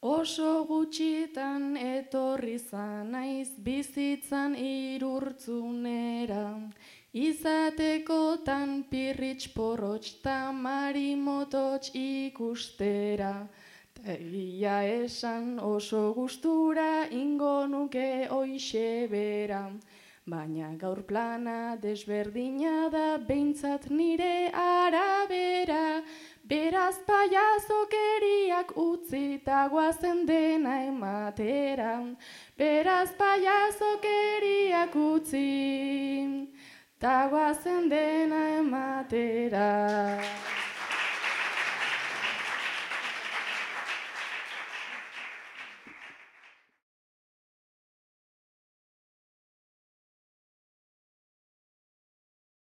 Oso gutxitan etorri naiz bizitzan irurtzunera, izatekotan pirritx porrotx ta marimototx ikustera. Ta egia esan oso gustura ingo nuke hoixe bera, baina gaur plana desberdina da behintzat nire arabera. Beraz paiazokeriak utzi ta goazen dena ematera. Beraz paiazokeriak utzi ta goazen dena ematera.